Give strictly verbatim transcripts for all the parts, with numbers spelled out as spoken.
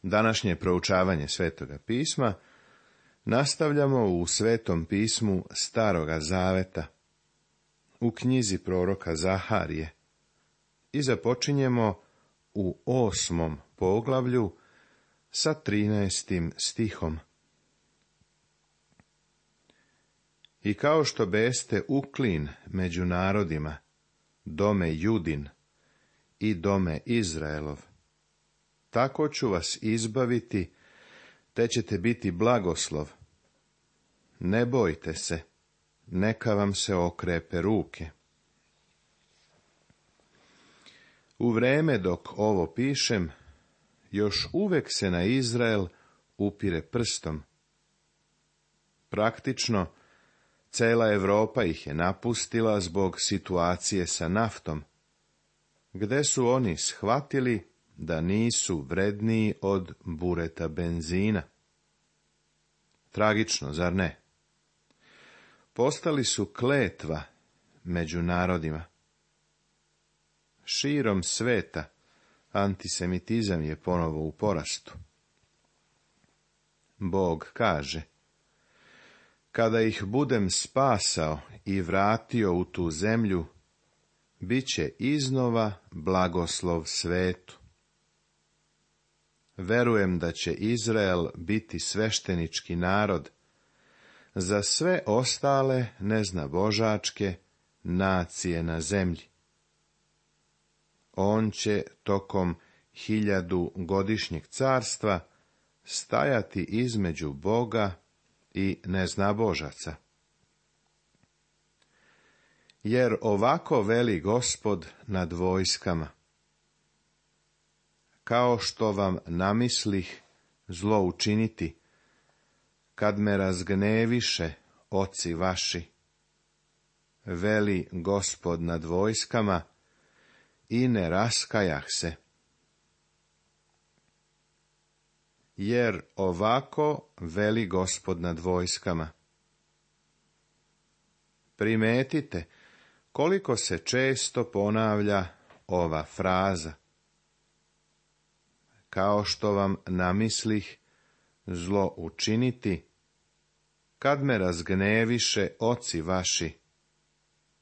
Današnje proučavanje Svetoga pisma nastavljamo u Svetom pismu Staroga zaveta, u knjizi proroka Zaharije, i započinjemo u osmom poglavlju sa trinaestim stihom. I kao što beste uklin među narodima, dome Judin i dome Izraelov, tako ću vas izbaviti, te ćete biti blagoslov. Ne bojte se, neka vam se okrepe ruke. U vreme dok ovo pišem, još uvek se na Izrael upire prstom. Praktično, cela Evropa ih je napustila zbog situacije sa naftom, gde su oni shvatili da nisu vredniji od bureta benzina. Tragično, zar ne? Postali su kletva među narodima. Širom sveta antisemitizam je ponovo u porastu. Bog kaže: kada ih budem spasao i vratio u tu zemlju, bit će iznova blagoslov svetu. Verujem da će Izrael biti sveštenički narod za sve ostale neznabožačke nacije na zemlji. On će tokom hiljadu godišnjeg carstva stajati između Boga i neznabožaca. Jer ovako veli Gospod nad vojskama: kao što vam namislih zlo učiniti, kad me razgneviše oci vaši, veli Gospod nad vojskama, i ne raskajah se. Jer ovako veli Gospod nad vojskama. Primetite koliko se često ponavlja ova fraza: kao što vam namislih zlo učiniti, kad me razgneviše oci vaši,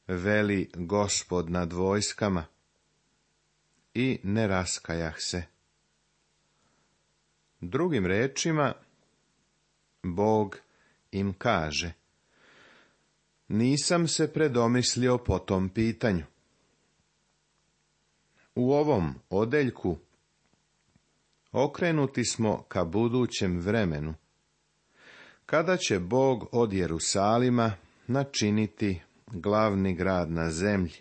veli Gospod nad vojskama, i ne raskajah se. Drugim rečima, Bog im kaže: nisam se predomislio po tom pitanju. U ovom odeljku okrenuti smo ka budućem vremenu, kada će Bog od Jerusalima načiniti glavni grad na zemlji.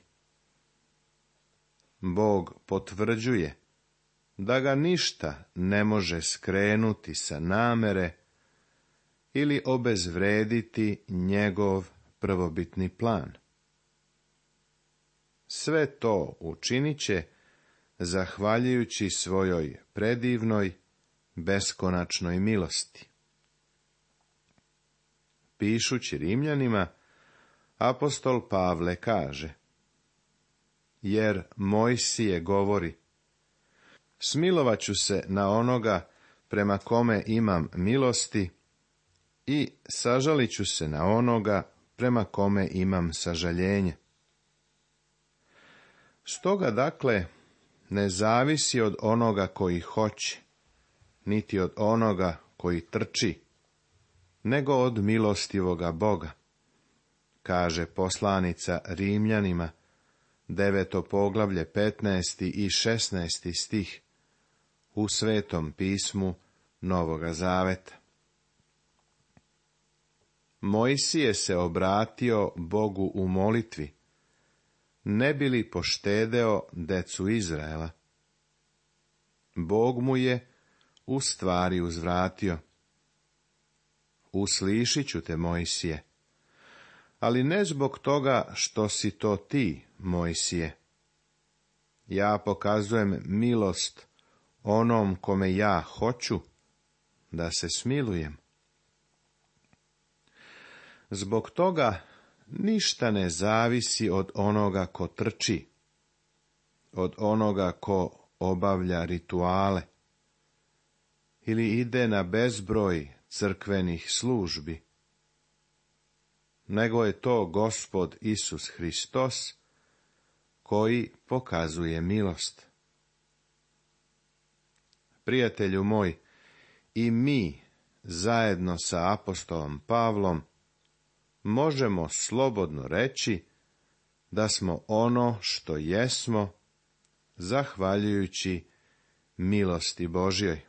Bog potvrđuje da ga ništa ne može skrenuti sa namere ili obezvrediti njegov prvobitni plan. Sve to učinit će zahvaljujući svojoj predivnoj, beskonačnoj milosti. Pišući Rimljanima, apostol Pavle kaže: jer Mojsije govori: smilovat ću se na onoga prema kome imam milosti i sažalit ću se na onoga prema kome imam sažaljenje. Stoga dakle ne zavisi od onoga koji hoće, niti od onoga koji trči, nego od milostivoga Boga, kaže poslanica Rimljanima, deveto poglavlje, petnaesti i šesnaesti stih, u Svetom pismu Novoga zaveta. Mojsije se obratio Bogu u molitvi, ne bi li poštedeo decu Izraela. Bog mu je u stvari uzvratio: uslišit ću te, Mojsije, ali ne zbog toga što si to ti, Mojsije. Ja pokazujem milost onom kome ja hoću da se smilujem. Zbog toga ništa ne zavisi od onoga ko trči, od onoga ko obavlja rituale. ili ide na bezbroj crkvenih službi, nego je to Gospod Isus Hristos koji pokazuje milost. Prijatelju moj, i mi, zajedno sa apostolom Pavlom, možemo slobodno reći da smo ono što jesmo, zahvaljujući milosti Božjoj.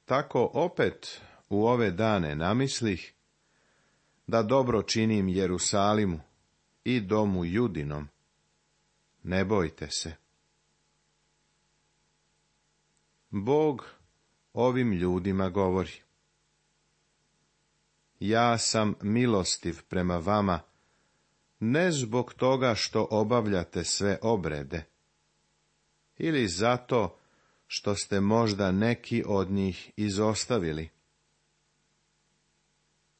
Tako opet u ove dane namislih da dobro činim Jerusalimu i domu Judinom. Ne bojte se. Bog ovim ljudima govori: ja sam milostiv prema vama, ne zbog toga što obavljate sve obrede, ili zato što ste možda neki od njih izostavili.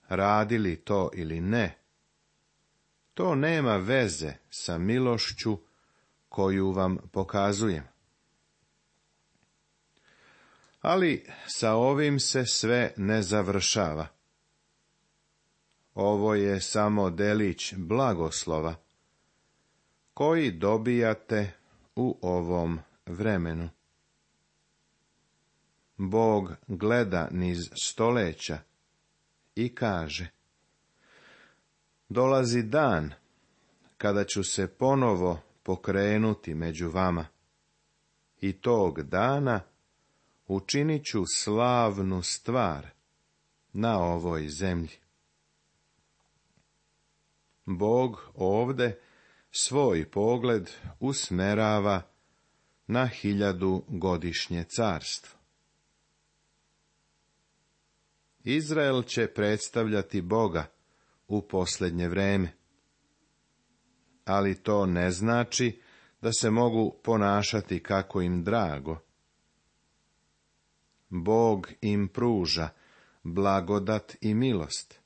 Radili to ili ne, to nema veze sa milošću koju vam pokazujem. Ali sa ovim se sve ne završava. Ovo je samo delić blagoslova koji dobijate u ovom vremenu. Bog gleda niz stoleća i kaže: dolazi dan kada ću se ponovo pokrenuti među vama, i tog dana učinit ću slavnu stvar na ovoj zemlji. Bog ovde svoj pogled usmerava na hiljadu godišnje carstvo. Izrael će predstavljati Boga u posljednje vreme, ali to ne znači da se mogu ponašati kako im drago. Bog im pruža blagodat i milost,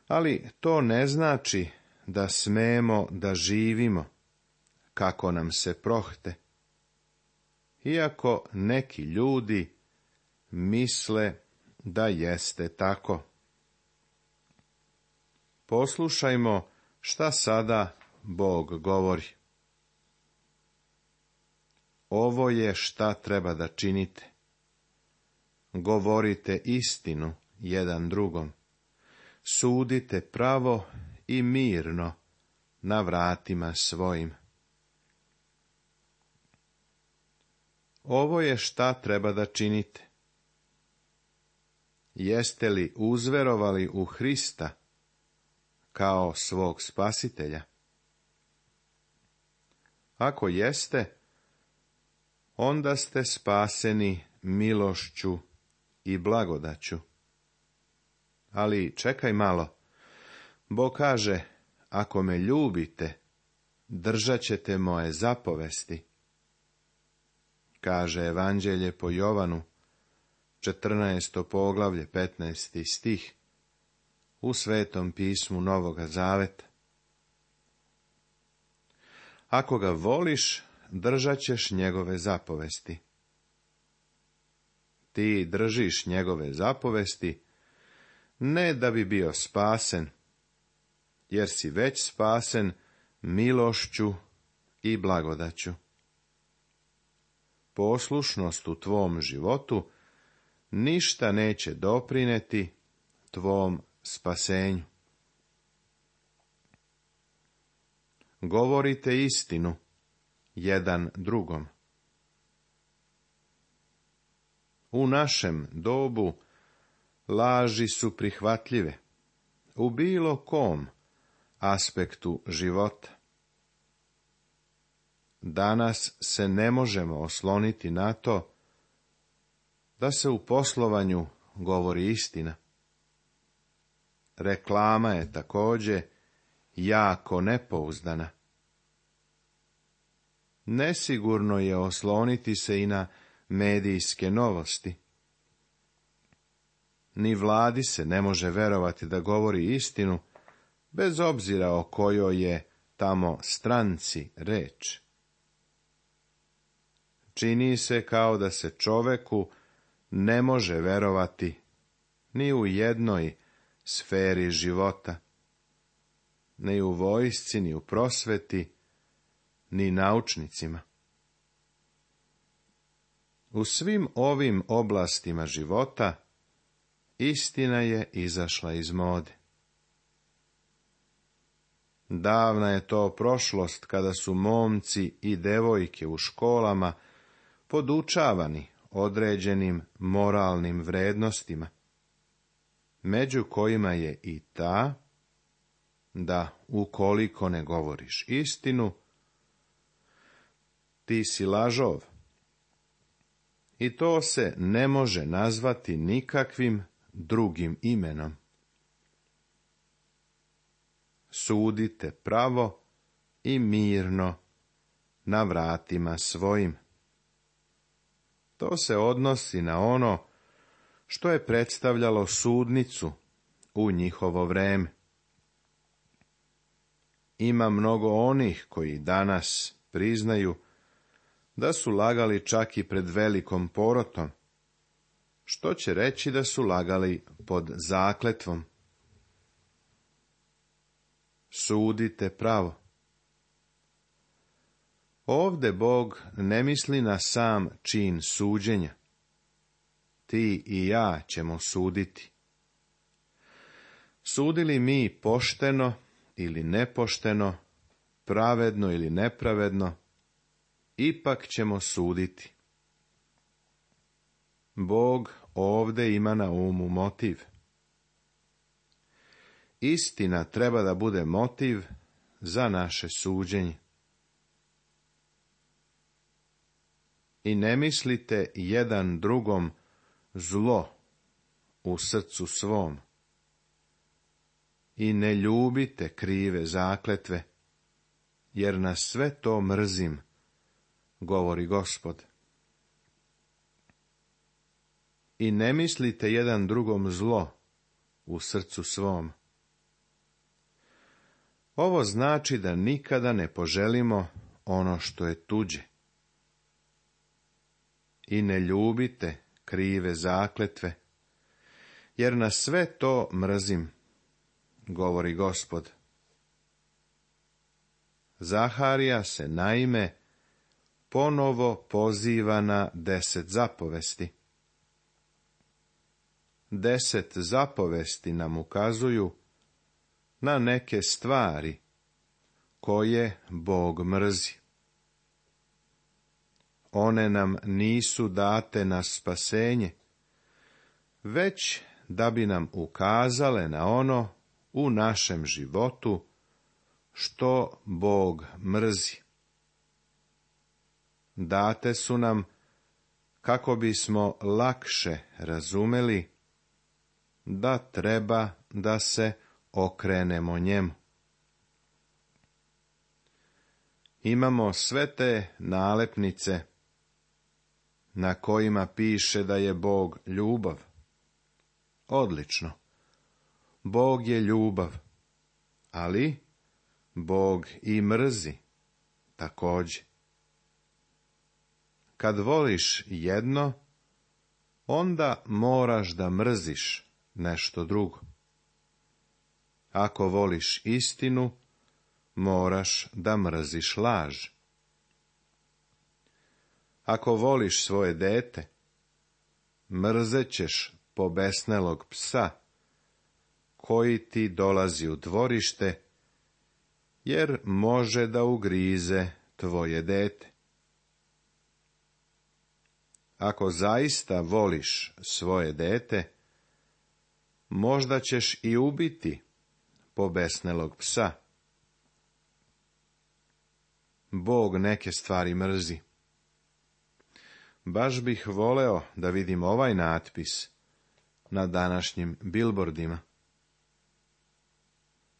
ali to ne znači da smemo da živimo kako nam se prohte, iako neki ljudi misle da jeste tako. Poslušajmo šta sada Bog govori. Ovo je šta treba da činite. Govorite istinu jedan drugom. Sudite pravo i mirno na vratima svojim. Ovo je šta treba da činite. Jeste li uzverovali u Hrista kao svog spasitelja? Ako jeste, onda ste spaseni milošću i blagodaću. Ali čekaj malo. Bog kaže: ako me ljubite, držat ćete moje zapovesti. Kaže Evanđelje po Jovanu, četrnaesto poglavlje, petnaesti stih, u Svetom pismu Novoga Zaveta. Ako ga voliš, držat ćeš njegove zapovesti. Ti držiš njegove zapovesti, ne da bi bio spasen, jer si već spasen milošću i blagodaću. Poslušnost u tvom životu ništa neće doprineti tvom spasenju. Govorite istinu jedan drugom. U našem dobu laži su prihvatljive u bilo kom aspektu života. Danas se ne možemo osloniti na to da se u poslovanju govori istina. Reklama je također jako nepouzdana. Nesigurno je osloniti se i na medijske novosti. Ni vladi se ne može verovati da govori istinu, bez obzira o kojoj je tamo stranci reč. čini se kao da se čoveku ne može verovati ni u jednoj sferi života, ni u vojsci, ni u prosveti, ni naučnicima. U svim ovim oblastima života istina je izašla iz mode. Davna je to prošlost kada su momci i devojke u školama podučavani određenim moralnim vrednostima, među kojima je i ta da ukoliko ne govoriš istinu, ti si lažov. I to se ne može nazvati nikakvim drugim imenom. Sudite pravo i mirno na vratima svojim. To se odnosi na ono što je predstavljalo sudnicu u njihovo vreme. Ima mnogo onih koji danas priznaju da su lagali čak i pred velikom porotom, što će reći da su lagali pod zakletvom. Sudite pravo. Ovde Bog ne misli na sam čin suđenja. Ti i ja ćemo suditi. Sudili mi pošteno ili nepošteno, pravedno ili nepravedno, ipak ćemo suditi. Bog ovde ima na umu motiv. Istina treba da bude motiv za naše suđenje. I ne mislite jedan drugom zlo u srcu svom. I ne ljubite krive zakletve, jer na sve to mrzim, govori Gospod. I ne mislite jedan drugom zlo u srcu svom. Ovo znači da nikada ne poželimo ono što je tuđe. I ne ljubite krive zakletve, jer na sve to mrzim, govori Gospod. Zaharija se naime ponovo poziva na deset zapovesti. Deset zapovesti nam ukazuju na neke stvari koje Bog mrzi. One nam nisu date na spasenje, već da bi nam ukazale na ono u našem životu što Bog mrzi. Date su nam kako bismo lakše razumeli da treba da se okrenemo njemu. Imamo sve te nalepnice na kojima piše da je Bog ljubav. Odlično. Bog je ljubav, ali Bog i mrzi također. Kad voliš jedno, onda moraš da mrziš nešto drugo. Ako voliš istinu, moraš da mrziš laž. Ako voliš svoje dete, mrzećeš pobesnelog psa, koji ti dolazi u dvorište, jer može da ugrize tvoje dete. Ako zaista voliš svoje dete, možda ćeš i ubiti pobesnelog psa. Bog neke stvari mrzi. Baš bih voleo da vidim ovaj natpis na današnjim bilbordima.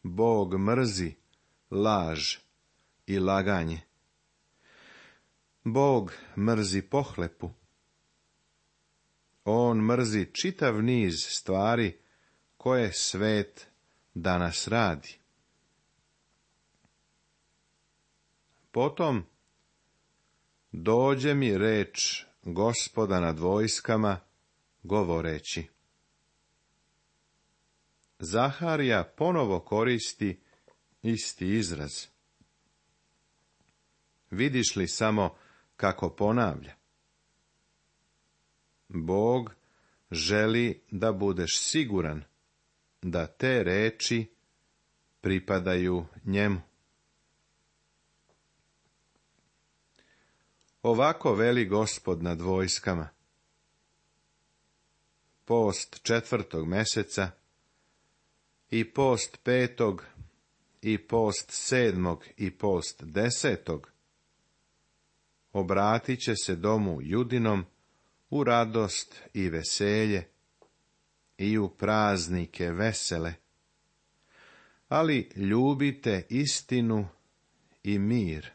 Bog mrzi laž i laganje. Bog mrzi pohlepu. On mrzi čitav niz stvari koje svet danas radi. Potom, dođe mi reč Gospoda nad vojskama, govoreći. Zaharija ponovo koristi isti izraz. Vidiš li samo kako ponavlja? Bog želi da budeš siguran da te reči pripadaju njemu. Ovako veli Gospod nad vojskama. Post četvrtog meseca i post petog i post sedmog i post desetog obratit će se domu Judinom u radost i veselje i u praznike vesele, ali ljubite istinu i mir.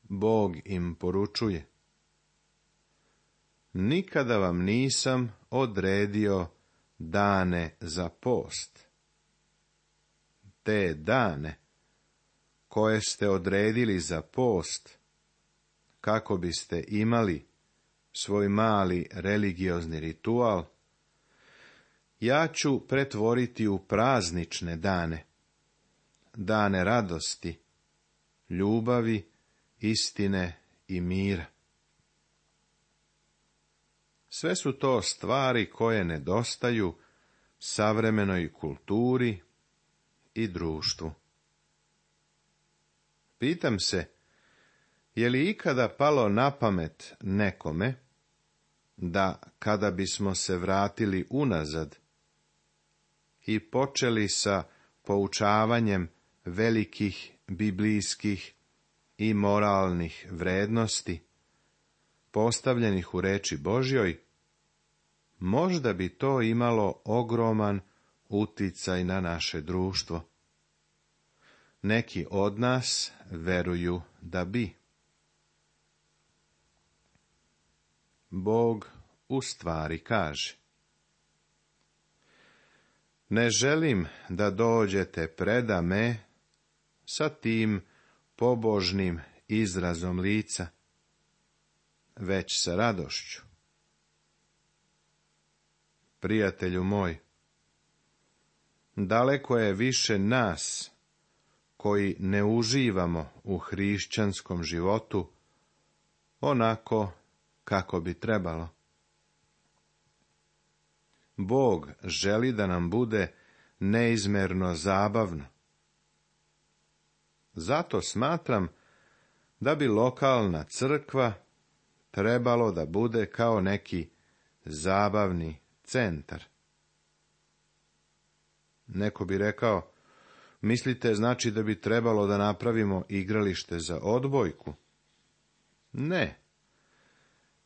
Bog im poručuje. Nikada vam nisam odredio dane za post. Te dane koje ste odredili za post, kako biste imali svoj mali religiozni ritual, ja ću pretvoriti u praznične dane, dane radosti, ljubavi, istine i mira. Sve su to stvari koje nedostaju savremenoj kulturi i društvu. Pitam se, je li ikada palo na pamet nekome da kada bismo se vratili unazad i počeli sa poučavanjem velikih biblijskih i moralnih vrednosti, postavljenih u reči Božjoj, možda bi to imalo ogroman uticaj na naše društvo. Neki od nas veruju da bi. Bog u stvari kaže. Ne želim da dođete preda me sa tim pobožnim izrazom lica, već sa radošću. Prijatelju moj, daleko je više nas koji ne uživamo u hrišćanskom životu onako kako bi trebalo. Bog želi da nam bude neizmerno zabavno. Zato smatram da bi lokalna crkva trebalo da bude kao neki zabavni centar. Neko bi rekao, mislite znači da bi trebalo da napravimo igralište za odbojku? Ne.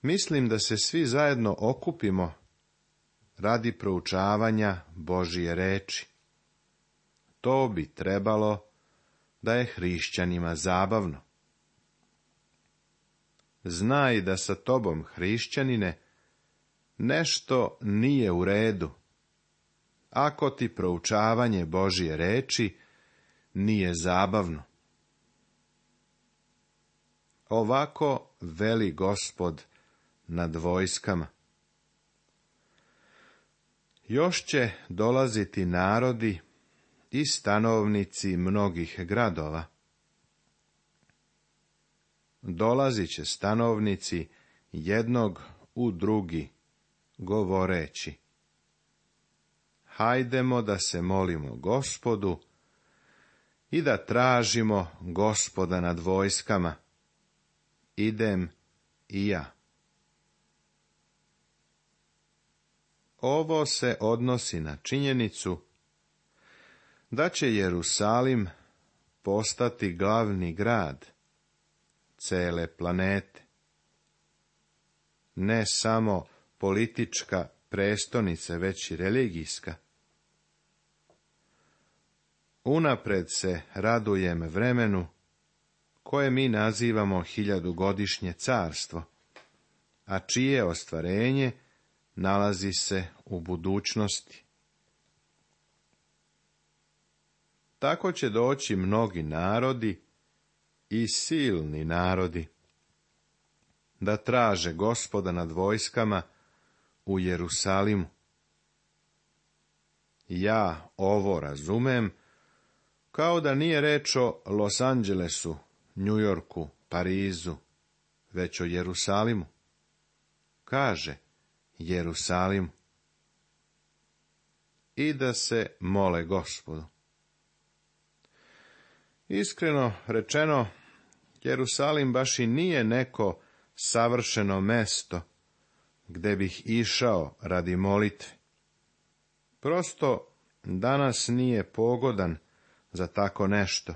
Mislim da se svi zajedno okupimo radi proučavanja Božije reči. To bi trebalo da je hrišćanima zabavno. Znaj da sa tobom, hrišćanine, nešto nije u redu, ako ti proučavanje Božje reči nije zabavno. Ovako veli Gospod nad vojskama. Još će dolaziti narodi i stanovnici mnogih gradova. Dolazit će stanovnici jednog u drugi, govoreći. Hajdemo da se molimo Gospodu i da tražimo Gospoda nad vojskama. Idem i ja. Ovo se odnosi na činjenicu da će Jerusalim postati glavni grad cele planete. Ne samo politička prestonica, već i religijska. Unapred se radujem vremenu koje mi nazivamo hiljadugodišnje carstvo, a čije ostvarenje nalazi se u budućnosti. Tako će doći mnogi narodi i silni narodi, da traže Gospoda nad vojskama u Jerusalimu. Ja ovo razumem kao da nije reč o Los Angelesu, Njujorku, Parizu, već o Jerusalimu. Kaže Jerusalimu. I da se mole Gospodu. Iskreno rečeno, Jerusalim baš i nije neko savršeno mesto gde bih išao radi molitve. Prosto danas nije pogodan za tako nešto.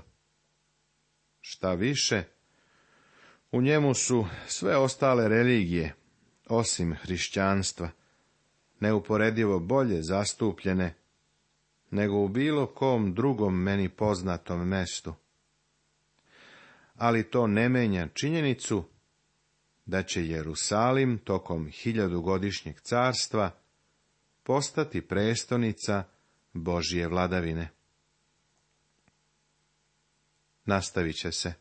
Šta više, u njemu su sve ostale religije, osim hrišćanstva, neuporedivo bolje zastupljene nego u bilo kom drugom meni poznatom mestu. Ali to ne menja činjenicu da će Jerusalim tokom hiljadugodišnjeg carstva postati prestonica Božje vladavine. Nastavit će se.